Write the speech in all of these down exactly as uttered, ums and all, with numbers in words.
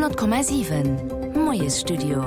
Honnert Komma siwen Moiesstudio.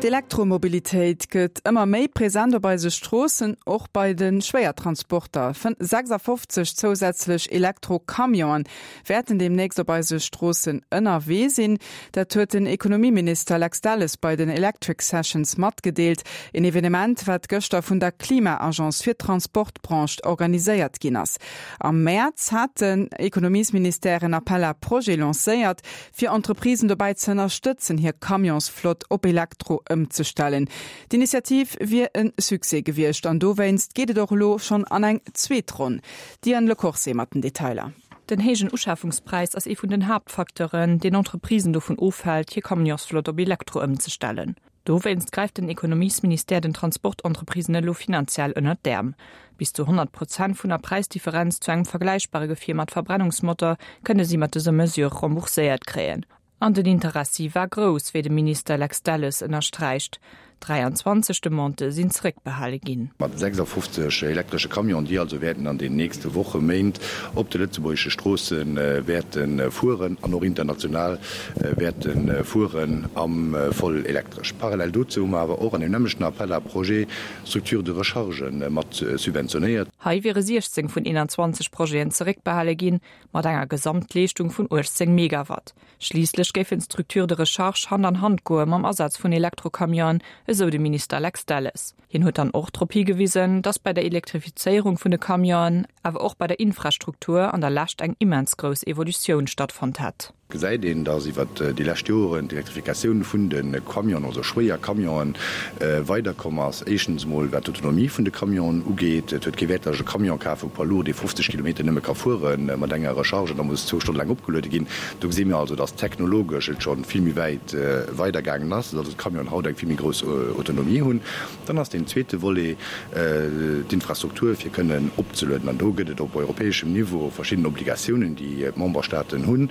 D'Elektromobilitéit gëtt ëmmer méi present op eise Stroossen, och bei de Schwéiertransporter. sechsafofzeg zousätzlech Elektrocamionen wäerten deemnächst op eise Stroossen ënnerwee sinn. Dat huet den Ekonomieminister Lex Delles bei den Electric Sessions matgedeelt, en Evenement, wat gëschter vun der Klima-Agence fir d'Transportbranche organiséiert ginn ass. Am Mäerz hat den Ekonomiesministère en Appel à projets lancéiert, fir Entreprisen dobäi ze ënnerstëtzen, hir Camionsflott op Elektro ëmzestellen. D'Initiativ wier e Succès gewiescht an dowéinst geet et och elo schonn an eng zweet Ronn. D'Diane Lecorse mat den Detailer. Den héijen Uschafungspräis ass ee vun den Haaptfacteuren, deen Entreprisen dovun ofhält, hir Camionsflott op Elektro ëmzestellen. Dowéinst gräift den Ekonomiesministère den Transportentreprisen elo finanziell ënnert d'Äerm. Bis zu honnert Prozent vun der Präisdifferenz zu engem vergläichbare Gefier mat Verbrennungsmotor kënne si mat dëser Mesure rembourséiert kréien. An den Interessi war grouss, wéi de Minister Lex Delles ënnersträicht. dräianzwanzeg Demandë sinn zeréckbehale ginn. Mat sechsafofzeg elektresche Camionen, déi also wäerten an den nächste Woche, Méint op de lëtzebuergesche Stroosse wäerte fueren an och international wäerte fueren am voll elektresch. Parallel dozou hu mer awer och an deem nämmlechten Appel à projets Structures de recharge mat subventionéiert. Hei wiere siechzéng vun eenanzwanzeg Projeten zeréckbehale ginn, mat enger Gesamtleeschtung vun uechtzéng Megawatt. Schliisslech géifen d'Structures de recharge Hand an Hand goe mam Asaz vun Elektrocamionen, esou de Minister Lex Delles. Hien huet dann och drop higewisen, datt bei der Elektrifizéierung vun de Camionen, awer och bei der Infrastruktur an der Lescht eng immens grouss Evolutioun stattfonnt hätt. Gesäit een, datt iwwer déi lescht Joren d'Elektrifikatioun vun de Camionen, also schwéier Camionen, weiderkomm ass. Éischtens emol wat d'Autonomie vun de Camionen ugeet. Et huet kee Wäert, datt ech e Camion kafe, e Poids lourd, dee fofzeg Kilometer nëmme ka fuere mat enger Recharge an da muss zwou Stonne laang opgeluede ginn. Do gesi mir also, datt technologesch et scho vill méi wäit weidergaangen ass, datt also d'Camionen haut eng vill méi grouss Autonomie hunn. Dann ass deen zweete Volet d'Infrastruktur, fir kënnen opzelueden. An do gëtt et op europäeschem Niveau verschidden Obligatiounen, déi d'Memberstaaten hunn.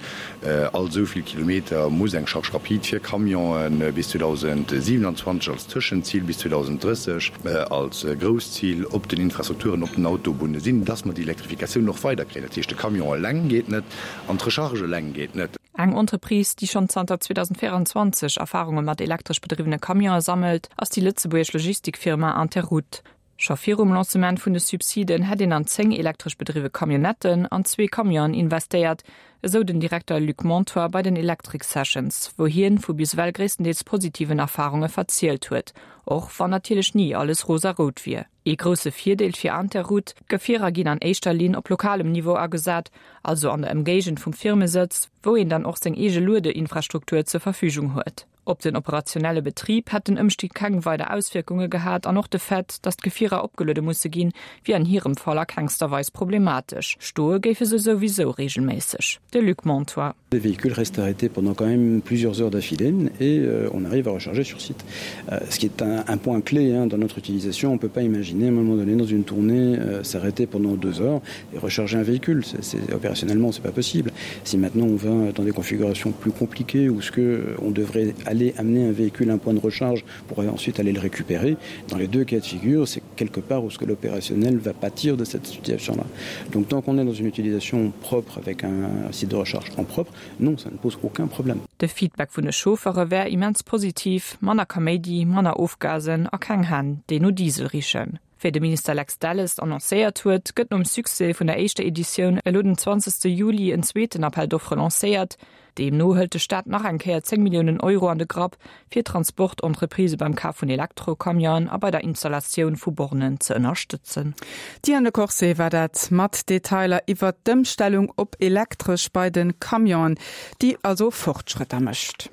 All esou vill Kilometer muss eng Charge rapide fir Camionen bis zweedausendsiewenanzwanzeg als Tëschenzil, bis zweedausenddrësseg als grousst Zil op den Infrastrukturen, op den Autobunne sinn, dass mer déi Elektrifikatioun och weiderkréien. Dat heescht, de Camion eleng geet net an d'Recharge eleng geet net. Eng Entreprise, déi schonn zanter zweedausendvéierenzwanzeg Erfarunge mat elektresch bedriwwene Camionë sammelt, ass déi lëtzebuergesch Logistikfirma Interoute. Scho virum Lancement vun de Subsiden hätt een an zéng elektresch bedriwwe Camionnetten an zwee Camionen investéiert, esou den Direkter Luc Montoir bei den Electric Sessions, wou hien vu bis ewell gréisstendeels positiven Erfarunge verzielt huet, och wann natierlech ni alles rosarout wier. Ee grousse Virdeel fir Interoute, D'Gefierer ginn an éischter Linn op lokalem Niveau agesat, also an der Ëmgéigend vum Firmesëtz, wou een dann och seng eege Luedeinfrastruktur zur Verfügung huet. Op den operationelle Betrib hätt den Ëmstig keng weider Auswierkunge gehat an och de Fait, datt d'Gefierer opgeluede musse ginn, wier an hirem Fall a kengster Weis problematesch. Stoe géife se souwisou reegelméisseg. De Luc Montois. Les véhicules restent arrêtés pendant quand même plusieurs heures d'affilée et on arrive à recharger sur site. Ce qui est un, un point clé hein, dans notre utilisation. On ne peut pas imaginer à un moment donné dans une tournée s'arrêter pendant deux heures et recharger un véhicule. C'est, c'est, opérationnellement, c'est pas possible. Si maintenant on va dans des configurations plus compliquées où ce que on devrait aller amener un véhicule à un point de recharge pour ensuite aller le récupérer, dans les deux cas de figure, c'est quelque part où ce que l'opérationnel va pâtir de cette situation-là. Donc tant qu'on est dans une utilisation propre avec un site de recharge en propre, non, ça ne pose aucun problème. De Feedback vun de Chauffeure wär immens positiv, manner Kaméidi, manner Ofgasen a keng Hänn, déi no Diesel richen. Wéi de Minister Lex Delles annoncéiert huet, gëtt nom Succès vun der éischter Editioun elo den zwanzegste Juli en zweeten Appel d'offres lancéiert. Deemno hëlt de Staat nach eng Kéier zéng Milliounen Euro an de Grapp, fir Transportentreprisë beim Kaf vun Elektrocamionen a bei der Installatioun vu Bornen ze ënnerstëtzen. D'Diane Lecorse war dat mat Detailer iwwert d'Ëmstellung op elektresch bei de Camionen, déi also Fortschrëtter mécht.